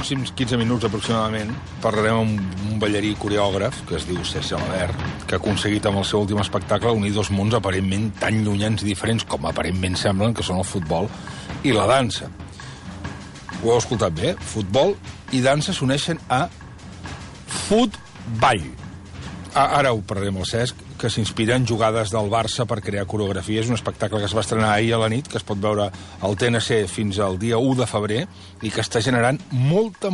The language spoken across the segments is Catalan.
pròxims 15 minuts aproximadament parlarem amb un ballarí coreògraf que es diu Serge Alabert, que ha aconseguit amb el seu últim espectacle unir dos mons aparentment tan llunyans i diferents com aparentment semblen, que són el futbol i la dansa. Ho heu escoltat bé? Futbol i dansa s'uneixen a Futball. Ara ho parlarem amb el Cesc, que s'inspira en jugades del Barça per crear coreografia. És un espectacle que es va estrenar ahir a la nit, que es pot veure al TNC fins al dia 1 de febrer i que està generant molta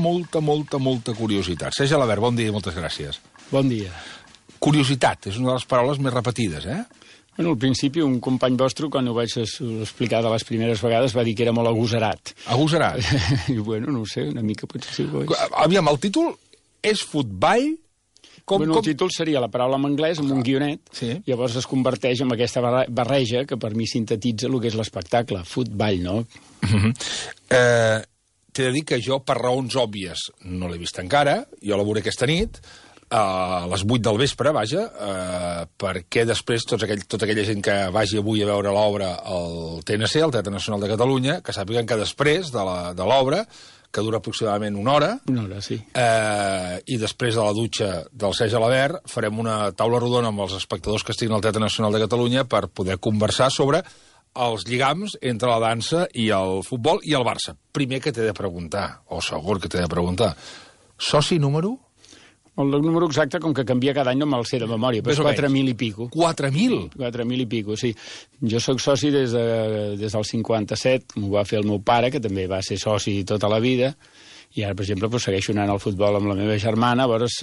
curiositat. Serge Alabert, bon dia i moltes gràcies. Bon dia. Curiositat, és una de les paraules més repetides, eh? Bueno, al principi, un company vostre, quan ho vaig explicar de les primeres vegades, va dir que era molt agosarat. Agosarat? I bueno, no ho sé, una mica potser sí ho és. Aviam, el títol és Futball? El títol seria la paraula en anglès, amb un guionet, sí. Llavors es converteix en aquesta barreja que per mi sintetitza el que és l'espectacle, Futball, no? T'he de dir que jo, per raons òbvies, no l'he vist encara, jo la veuré aquesta nit, a les 8 del vespre, vaja, perquè després tota aquella gent que vagi avui a veure l'obra al TNC, al Teatre Nacional de Catalunya, que sàpiguen que després de l'obra, que dura aproximadament una hora. Una hora, sí. I després de la dutxa del Serge Alabert farem una taula rodona amb els espectadors que estiguin al Teatre Nacional de Catalunya per poder conversar sobre els lligams entre la dansa i el futbol i el Barça. Primer que t'he de preguntar, o segur que t'he de preguntar, soci número? El número exacte, com que canvia cada any, no me'l sé de memòria, però és 4.000 i pico. 4.000? 4.000 i pico, sí. Jo sóc soci des del 57, m'ho va fer el meu pare, que també va ser soci tota la vida, i ara, per exemple, segueixo anant al futbol amb la meva germana. Llavors,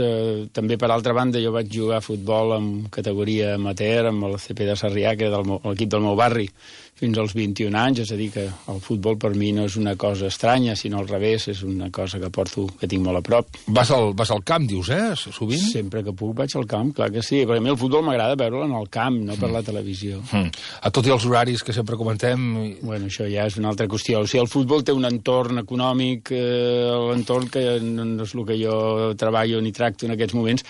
també, per altra banda, jo vaig jugar a futbol en categoria amateur, amb el CP de Sarrià, que era l'equip del meu barri, fins als 21 anys, és a dir, que el futbol per mi no és una cosa estranya, sinó al revés, és una cosa que tinc molt a prop. Vas al camp, dius, sovint? Sempre que puc vaig al camp, clar que sí, perquè a mi el futbol m'agrada veure'l en el camp, no per la televisió. A tot i els horaris que sempre comentem... Bueno, això ja és una altra qüestió. O sigui, el futbol té un entorn econòmic, l'entorn que no és el que jo treballo ni tracto en aquests moments,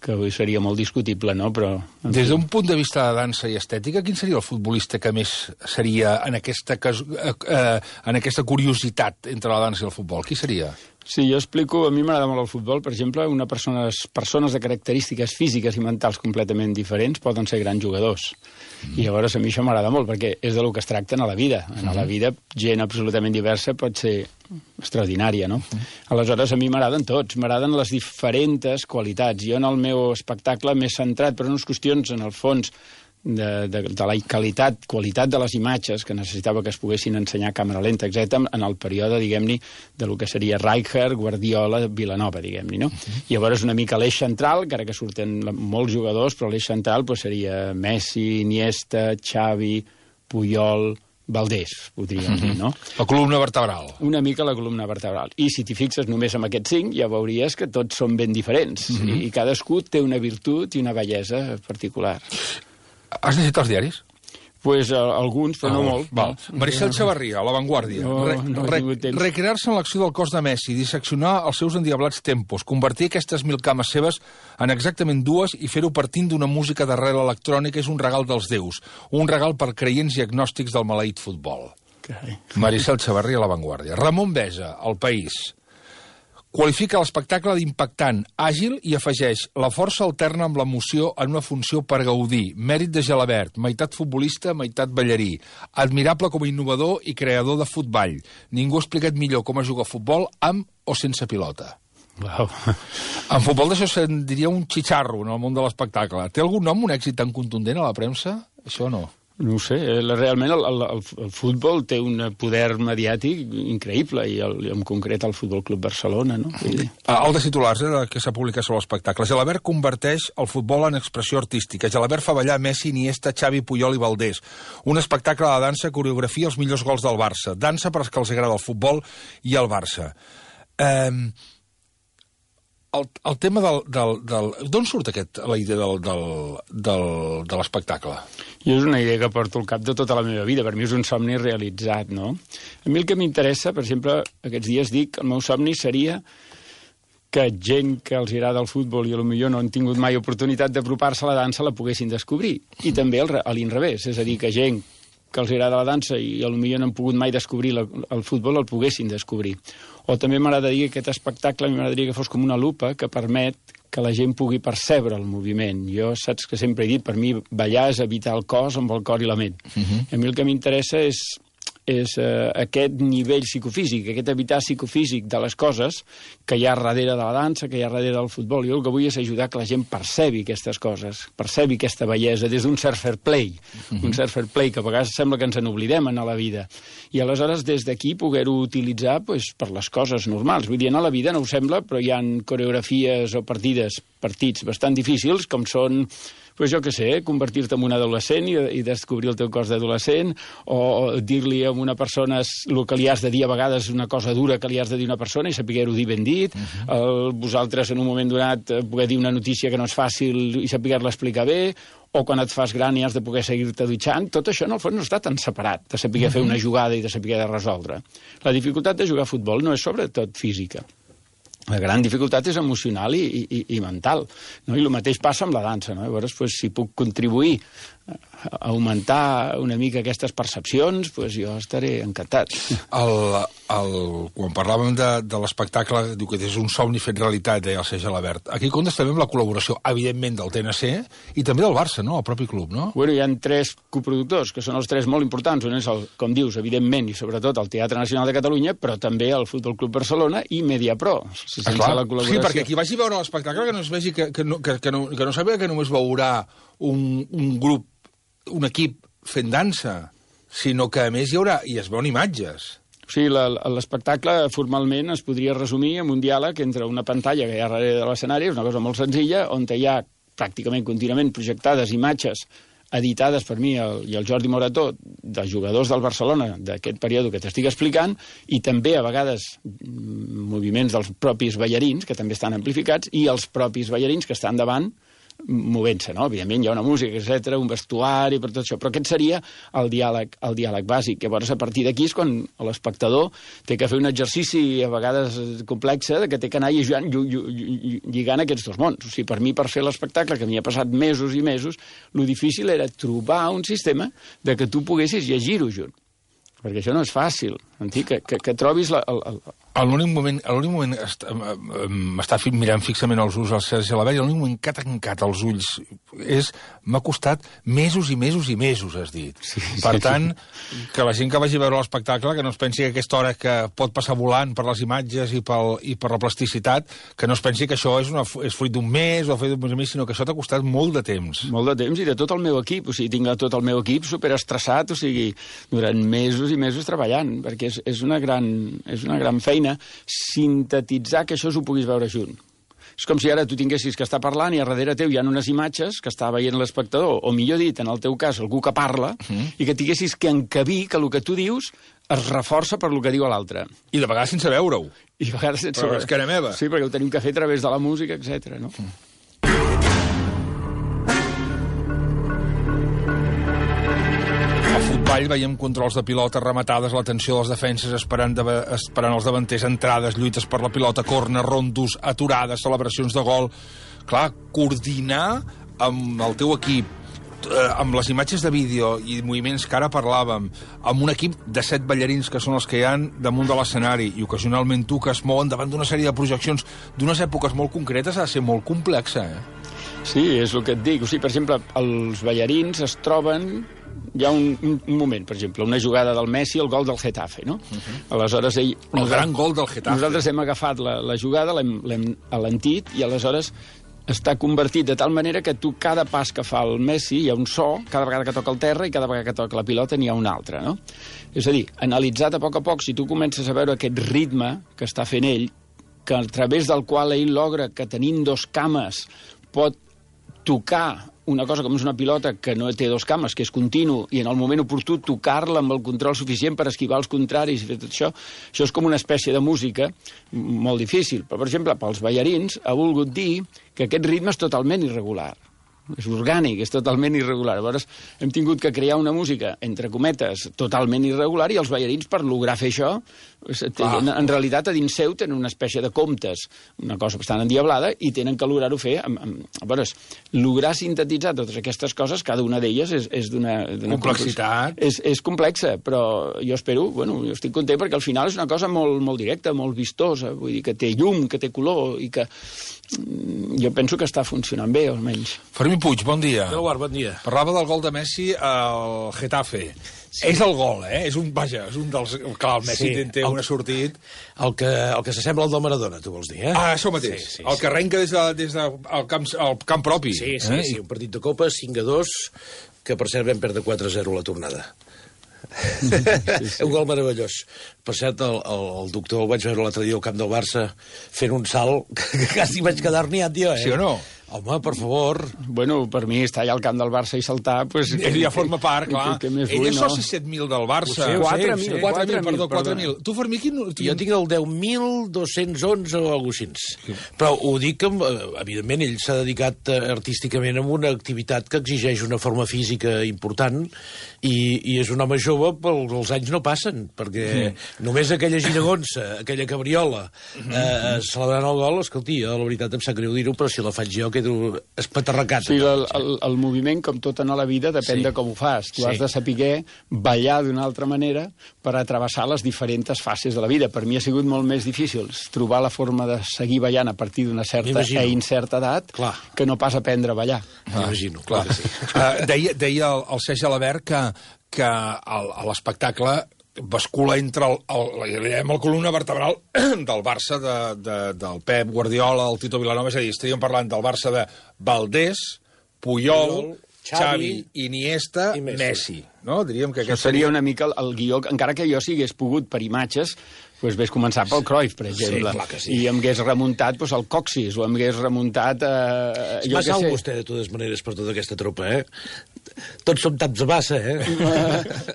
que avui seria molt discutible, no? Però... Des d'un punt de vista de dansa i estètica, quin seria el futbolista que més seria en aquesta curiositat entre la dansa i el futbol? Qui seria? Sí, jo explico, a mi m'agrada molt el futbol, per exemple, persones de característiques físiques i mentals completament diferents poden ser grans jugadors. I llavors a mi això m'agrada molt, perquè és del que es tracta a la vida. A la vida, gent absolutament diversa pot ser extraordinària, no? Aleshores, a mi m'agraden tots, m'agraden les diferents qualitats. Jo en el meu espectacle m'he centrat per unes qüestions, en el fons, de la qualitat de les imatges, que necessitava que es poguessin ensenyar a càmera lenta, etc., en el període, diguem-ne, del que seria Rijkaard, Guardiola, Vilanova, diguem-ne, no? I llavors una mica l'eix central, encara que surten molts jugadors, però l'eix central seria Messi, Iniesta, Xavi, Puyol, Valdés, podríem dir, no? La columna vertebral. Una mica la columna vertebral. I si t'hi fixes només en aquests 5, ja veuries que tots són ben diferents. I cadascú té una virtut i una bellesa particular. Has llegit els diaris? Pues alguns, però no molt. Val. Maricel Chavarria, a La Vanguardia. Recrear-se en l'acció del cos de Messi, disseccionar els seus endiablats tempos, convertir aquestes 1.000 cames seves en exactament 2 i fer-ho partint d'una música d'arrel electrònica és un regal dels déus, un regal per creients i agnòstics del maleït futbol. Maricel Chavarria, a La Vanguardia. Ramon Besa, El País. Qualifica l'espectacle d'impactant, àgil i afegeix la força alterna amb l'emoció en una funció per gaudir. Mèrit de Gelabert, meitat futbolista, meitat ballarí. Admirable com a innovador i creador de futball. Ningú ha explicat millor com es juga a futbol amb o sense pilota. Wow. En futbol d'això se'n diria un xitxarro en el món de l'espectacle. Té algun nom, un èxit tan contundent a la premsa? Això no. No ho sé, realment el futbol té un poder mediàtic increïble, i en concret el Futbol Club Barcelona, no? El de titulars que s'ha publicat sobre l'espectacle. Gelabert converteix el futbol en expressió artística. Gelabert fa ballar Messi, Iniesta, Xavi, Puyol i Valdés. Un espectacle de dansa, coreografia, els millors gols del Barça. Dansa per als que els agrada el futbol i el Barça. El tema d'on surt la idea de l'espectacle? Jo és una idea que porto al cap de tota la meva vida. Per mi és un somni realitzat, no? A mi el que m'interessa, per exemple, aquests dies dic, el meu somni seria que gent que els agrada el futbol i potser no han tingut mai oportunitat d'apropar-se a la dansa la poguessin descobrir. I també a l'inrevés, és a dir, que gent que els agrada la dansa i potser no han pogut mai descobrir el futbol el poguessin descobrir. O també m'agradaria que aquest espectacle m'agradaria que fos com una lupa que permet que la gent pugui percebre el moviment. Jo, saps que sempre he dit, per mi ballar és habitar el cos amb el cor i la ment. A mi el que m'interessa és aquest nivell psicofísic, aquest habitar psicofísic de les coses que hi ha darrere de la dansa, que hi ha darrere del futbol. Jo el que vull és ajudar que la gent percebi aquestes coses, percebi aquesta bellesa des d'un cert fair play, un cert fair play que a vegades sembla que ens n'oblidem a la vida. I aleshores des d'aquí poder-ho utilitzar per les coses normals. Vull dir, a la vida no ho sembla, però hi ha coreografies o partits bastant difícils, com són jo què sé, convertir-te en un adolescent i descobrir el teu cos d'adolescent, o dir-li a una persona el que li has de dir a vegades una cosa dura que li has de dir a una persona i saber-ho dir ben dit, vosaltres en un moment donat poder dir una notícia que no és fàcil i saber-la explicar bé, o quan et fas gran i has de poder seguir-te dutxant, tot això en el fons no està tan separat, de saber fer una jugada i de saber de resoldre. La dificultat de jugar a futbol no és sobretot física. La gran dificultat és emocional i mental. No? I el mateix passa amb la dansa. No? Llavors, si puc contribuir a augmentar una mica aquestes percepcions, jo estaré encantat. Quan parlàvem de l'espectacle, diu que és un somni fet realitat, deia el Sergi Alabert. Aquí comptes també amb la col·laboració, evidentment, del TNC i també del Barça, no? El propi club, no? Bueno, hi ha 3 coproductors, que són els 3 molt importants. Un és, com dius, evidentment, i sobretot el Teatre Nacional de Catalunya, però també el Futbol Club Barcelona i Mediapro. Sí, perquè qui vagi a veure l'espectacle que no es vegi que no sàpiga que només veurà un grup, un equip fent dansa, sinó que a més hi es veuen imatges. Sí, l'espectacle formalment es podria resumir amb un diàleg entre una pantalla que hi ha darrere de l'escenari, és una cosa molt senzilla, on hi ha pràcticament contínuament projectades imatges editades per mi i el Jordi Morató, de jugadors del Barcelona d'aquest període que t'estic explicant, i també a vegades moviments dels propis ballarins, que també estan amplificats, i els propis ballarins que estan davant movent-se, no? Evidentment hi ha una música, etc., un vestuari, per tot això, però aquest seria el diàleg bàsic. Llavors, a partir d'aquí és quan l'espectador té que fer un exercici a vegades complex, que té que anar lligant aquests dos mons. O sigui, per mi, per fer l'espectacle, que m'hi ha passat mesos i mesos, lo difícil era trobar un sistema de que tu poguessis llegir-ho junt. Perquè això no és fàcil. Que trobis A l'únic moment m'està mirant fixament els ulls al Sergi Alabert, i l'únic moment que ha tancat els ulls m'ha costat mesos i mesos i mesos, has dit. Per tant, que la gent que vagi a veure l'espectacle, que no es pensi que aquesta hora que pot passar volant per les imatges i per la plasticitat, que no es pensi que això és fruit d'un mes o fruit d'un mes, sinó que això t'ha costat molt de temps. Molt de temps, i de tot el meu equip. O sigui, tinc tot el meu equip superestressat, o sigui, durant mesos i mesos treballant, perquè és una gran feina sintetitzar que això s'ho puguis veure junt. És com si ara tu tinguessis que estar parlant i a darrere teu hi ha unes imatges que està veient l'espectador, o millor dit, en el teu cas, algú que parla, i que tinguessis que encabir que el que tu dius es reforça per el que diu l'altre. I de vegades sense veure-ho. I de vegades sense veure-ho. Però és que era meva. Sí, perquè ho tenim que fer a través de la música, etc. no? Veiem controls de pilota, rematades, l'atenció dels defenses esperant els davanters, entrades, lluites per la pilota, corner, rondos, aturades, celebracions de gol. Clar, coordinar amb el teu equip, amb les imatges de vídeo i moviments que ara parlàvem, amb un equip de 7 ballarins que són els que hi ha damunt de l'escenari i ocasionalment tu que es mouen davant d'una sèrie de projeccions d'unes èpoques molt concretes, ha de ser molt complexa, Sí, és el que et dic. O sigui, per exemple, els ballarins es troben... Hi ha un moment, per exemple, una jugada del Messi, el gol del Getafe, no? Aleshores, el gran gol del Getafe. Nosaltres hem agafat la jugada, l'hem alentit, i aleshores està convertit de tal manera que tu, cada pas que fa el Messi, hi ha un so, cada vegada que toca el terra i cada vegada que toca la pilota n'hi ha un altre, no? És a dir, analitzat a poc, si tu comences a veure aquest ritme que està fent ell, que a través del qual ell logra que tenint 2 cames pot tocar una cosa com és una pilota que no té 2 cames, que és continu, i en el moment oportú tocar-la amb el control suficient per esquivar els contraris i fer tot això, això és com una espècie de música molt difícil. Però, per exemple, pels ballarins ha volgut dir que aquest ritme és totalment irregular. És orgànic, és totalment irregular. Llavors hem tingut que crear una música, entre cometes, totalment irregular, i els ballarins, per lograr fer això, En realitat, a dins seu tenen una espècie de comptes, una cosa bastant endiablada, i tenen que lograr-ho fer. A veure, lograr sintetitzar totes aquestes coses, cada una d'elles és d'una complexitat. És complexa, però jo espero, jo estic content perquè al final és una cosa molt, molt directa, molt vistosa, vull dir que té llum, que té color, i que jo penso que està funcionant bé, almenys. Fermí Puig, bon dia. Bon dia. Parlava del gol de Messi al Getafe. Sí. És el gol, és un dels... Clar, el Messi té un assortit... El que s'assembla al del Maradona, tu vols dir, eh? Ah, això mateix. Sí. El que arrenca des del camp propi. Sí, un partit de Copa, 5-2, que per cert vam perdre 4-0 a la tornada. Un gol meravellós. Per cert, el doctor el vaig veure l'altre dia al camp del Barça fent un salt que quasi vaig quedar herniat, tio, Sí o no? Home, per favor. Per mi estar allà al camp del Barça i saltar... Ja forma part, clar. Ell és soci 7.000 del Barça. 4.000. Tu, Fermí, jo tinc el 10.211 o alguna cosa així. Però ho dic que, evidentment, ell s'ha dedicat artísticament a una activitat que exigeix una forma física important i és un home jove, però els anys no passen, perquè només aquella giragonsa, aquella cabriola, celebrant el gol, escolti, la veritat em sap greu dir-ho, però si la faig jo quedo espaterracat. Sí, el moviment, com tot en la vida, depèn de com ho fas. Tu has de saber ballar d'una altra manera per atrevessar les diferents fases de la vida. Per mi ha sigut molt més difícil trobar la forma de seguir ballant a partir d'una certa i incerta edat que no pas aprendre a ballar. M'imagino, clar que sí. Deia el Sergi Alabert que a l'espectacle bascula entre el columna vertebral del Barça del Pep Guardiola, el Tito Vilanova, és a dir, estaríem parlant del Barça de Valdés, Puyol, Xavi, Iniesta, i Messi. No? Diríem que això seria una mica el guió, encara que jo si hagués pogut per imatges, doncs ves començar pel Cruyff, per exemple, i em hagués remuntat el Coxis, o em hagués remuntat... És massa alt vostè, de totes maneres, per tota aquesta tropa, eh? Tots som taps de massa,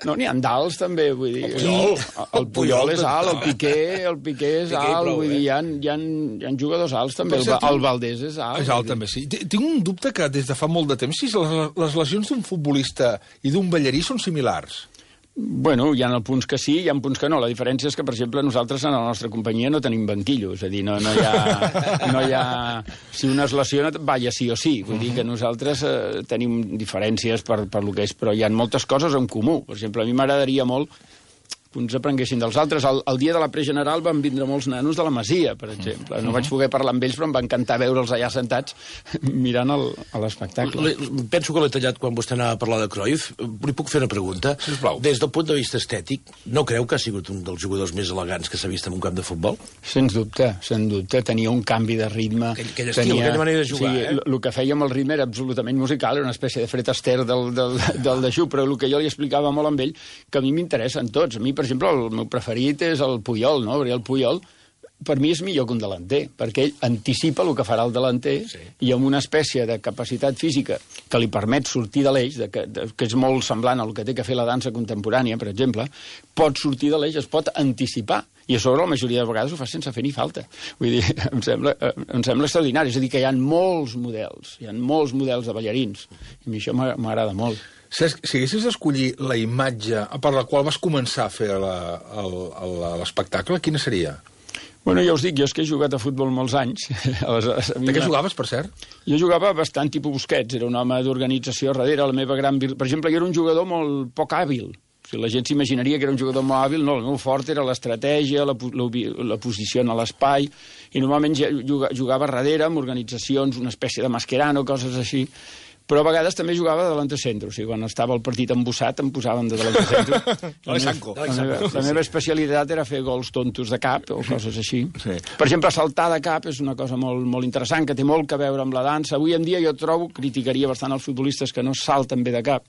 No, n'hi ha d'alts, també, vull dir... El Puyol és alt, el Piqué és alt, vull dir, hi ha jugadors alts, també, el Valdés és alt. És alt, també, sí. Tinc un dubte que des de fa molt de temps, si les lesions d'un futbolista i d'un ballarí són similars. Hi ha punts que sí, hi ha punts que no. La diferència és que, per exemple, nosaltres en la nostra companyia no tenim banquillo, és a dir, no hi ha... Si un es lesiona, balla sí o sí. Vull dir que nosaltres tenim diferències per lo que és, però hi ha moltes coses en comú. Per exemple, a mi m'agradaria molt que uns aprenguessin dels altres. El dia de la pregeneral van vindre molts nanos de la Masia, per exemple. No vaig poder parlar amb ells, però em va encantar veure'ls allà sentats mirant l'espectacle. Penso que l'he tallat quan vostè anava a parlar de Cruyff. Li puc fer una pregunta? Sisplau. Des del punt de vista estètic, no creu que ha sigut un dels jugadors més elegants que s'ha vist en un camp de futbol? Sens dubte. Tenia un canvi de ritme. Aquell estil, aquella manera de jugar, el que feia amb el ritme era absolutament musical, era una espècie de Fred Astaire del Dejú, però el que jo li explicava molt amb ell, que a mi m'interessen tots. A mi, per exemple, el meu preferit és el Puyol, no? Perquè el Puyol, per mi, és millor que un delanter, perquè ell anticipa el que farà el delanter i amb una espècie de capacitat física que li permet sortir de l'eix, que és molt semblant al que té que fer la dansa contemporània, per exemple, pot sortir de l'eix, es pot anticipar. I a sobre la majoria de vegades ho fa sense fer ni falta. Vull dir, em sembla extraordinari. És a dir, que hi ha molts models de ballarins. I a mi això m'agrada molt. Si haguessis d'escollir la imatge per la qual vas començar a fer l'espectacle, quina seria? Ja us dic, jo és que he jugat a futbol molts anys. De què jugaves, per cert? Jo jugava bastant tipus Busquets, era un home d'organització darrere. La meva gran... Per exemple, jo era un jugador molt poc hàbil. La gent s'imaginaria que era un jugador molt hàbil. No, el meu fort era l'estratègia, la posició en l'espai, i normalment jugava darrere amb organitzacions, una espècie de Mascherano, coses així. Però a vegades també jugava de delantecentro. O sigui, quan estava el partit embussat, em posaven de delantecentro. La meva especialitat era fer gols tontos de cap o coses així. Per exemple, saltar de cap és una cosa molt, molt interessant, que té molt a veure amb la dansa. Avui en dia jo criticaria bastant els futbolistes que no salten bé de cap.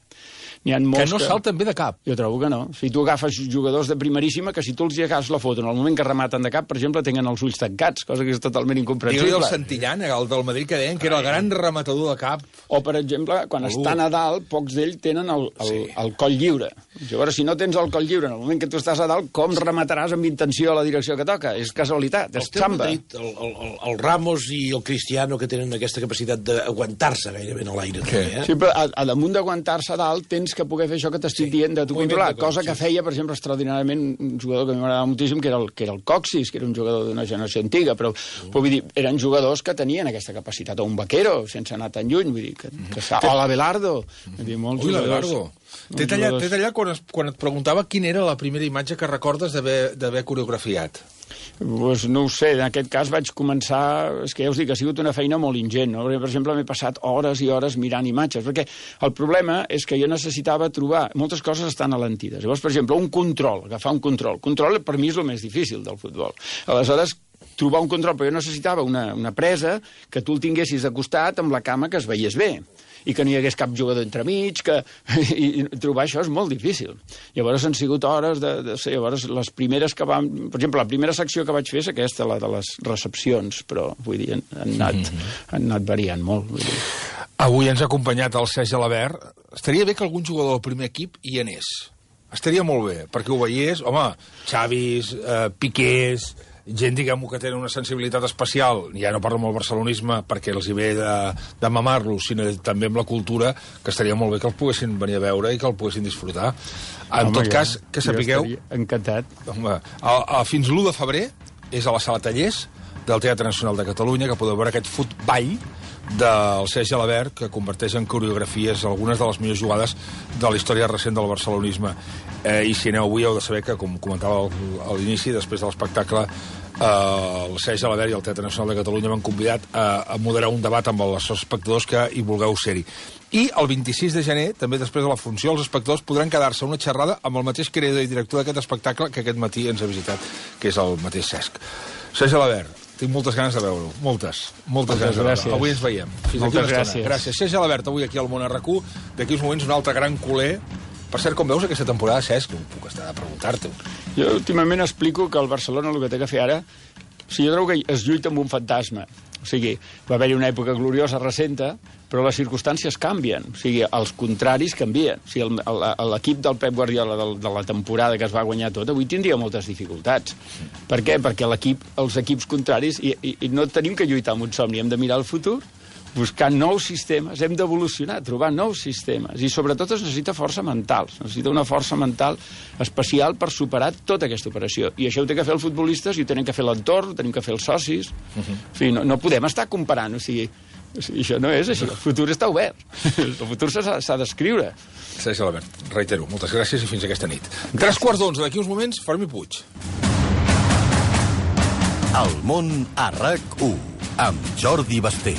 Que no salten bé de cap? Jo trobo que no. Si tu agafes jugadors de primeríssima, que si tu els hi agafes la foto en el moment que rematen de cap, per exemple, tenen els ulls tancats, cosa que és totalment incomprensible. Digue-li el Santillán, el del Madrid, que deien que era el gran rematador de cap. O, per exemple, quan estan a dalt, pocs d'ells tenen el coll lliure. Llavors, si no tens el coll lliure en el moment que tu estàs a dalt, com remataràs amb intenció a la direcció que toca? És casualitat, és xamba. El Ramos i el Cristiano, que tenen aquesta capacitat d'aguantar-se gairebé en l'aire. Sí, però a damunt d'aguantar-se a dalt tens que poder fer això que t'estic dient de tu controlar, cosa que feia, per exemple, extraordinàriament un jugador que a mi m'agradava moltíssim, que era el Coxis, que era un jugador d'una generació antiga, però vull dir, eren jugadors que tenien aquesta capacitat, o un Vaquero, sense anar tan lluny, vull dir, o l'Abelardo. Ui, l'Abelardo. T'he tallat quan et preguntava quina era la primera imatge que recordes d'haver coreografiat. Pues no ho sé, en aquest cas vaig començar... És que ja us dic, ha sigut una feina molt ingent, no? Perquè, per exemple, m'he passat hores i hores mirant imatges, perquè el problema és que jo necessitava trobar... Moltes coses estan alentides. Llavors, per exemple, un control, agafar un control. Control, per mi, és el més difícil del futbol. Aleshores, trobar un control, però jo necessitava una presa que tu el tinguessis de costat amb la cama que es veiés bé i que no hi hagués cap jugador entremig, i trobar això és molt difícil. Llavors han sigut hores llavors les primeres que vam... Per exemple, la primera secció que vaig fer és aquesta, la de les recepcions, però, vull dir, han anat variant molt. Vull dir. Avui ens ha acompanyat el Sergi Alabert. Estaria bé que algun jugador del primer equip hi anés. Estaria molt bé, perquè ho veiés... Home, Xavis, Piqués... gent, diguem-ho, que tenen una sensibilitat especial, ja no parlo amb el barcelonisme perquè els hi ve de mamar-los, sinó també amb la cultura, que estaria molt bé que els poguessin venir a veure i que el poguessin disfrutar. En tot cas, que sapigueu... Encantat. Home, fins l'1 de febrer és a la Sala Tallers del Teatre Nacional de Catalunya, que podeu veure aquest futball del Sergi Alabert, que converteix en coreografies algunes de les millors jugades de la història recent del barcelonisme. I si aneu avui heu de saber que, com comentava a l'inici, després de l'espectacle, el Sergi Alabert i el Teatre Nacional de Catalunya m'han convidat a moderar un debat amb els espectadors que hi vulgueu ser-hi. I el 26 de gener, també després de la funció, els espectadors podran quedar-se una xerrada amb el mateix creador i director d'aquest espectacle que aquest matí ens ha visitat, que és el mateix Cesc. Sergi Alabert, tinc moltes ganes de veure-ho. Moltes ganes de veure-ho. Avui ens veiem. Fins aquí una estona. Gràcies. Sergi Alabert, avui aquí al Món RQ. D'aquí uns moments un altre gran culer. Per cert, com veus aquesta temporada, Cesc? No puc estar de preguntar-t'ho. Jo últimament explico que el Barcelona el que té que fer ara... O sigui, jo trobo que es lluita amb un fantasma. O sigui, va haver-hi una època gloriosa recenta, però les circumstàncies canvien. O sigui, els contraris canvien. O sigui, l'equip del Pep Guardiola de la temporada que es va guanyar tot, avui tindria moltes dificultats. Per què? Perquè els equips contraris... I no tenim que lluitar amb un somni, hem de mirar el futur, buscar nous sistemes, hem d'evolucionar, trobar nous sistemes, i sobretot es necessita força mental, necessita una força mental especial per superar tota aquesta operació, i això ho té que fer els futbolistes, i ho tenen que fer l'entorn, ho tenen que fer els socis, en fi, no podem estar comparant, o sigui, això no és així, el futur està obert, el futur s'ha d'escriure. Sergi Alabert, reitero, moltes gràcies i fins aquesta nit. 11:15, d'aquí uns moments, Fermí Puig. El Món a RAC1, amb Jordi Basté.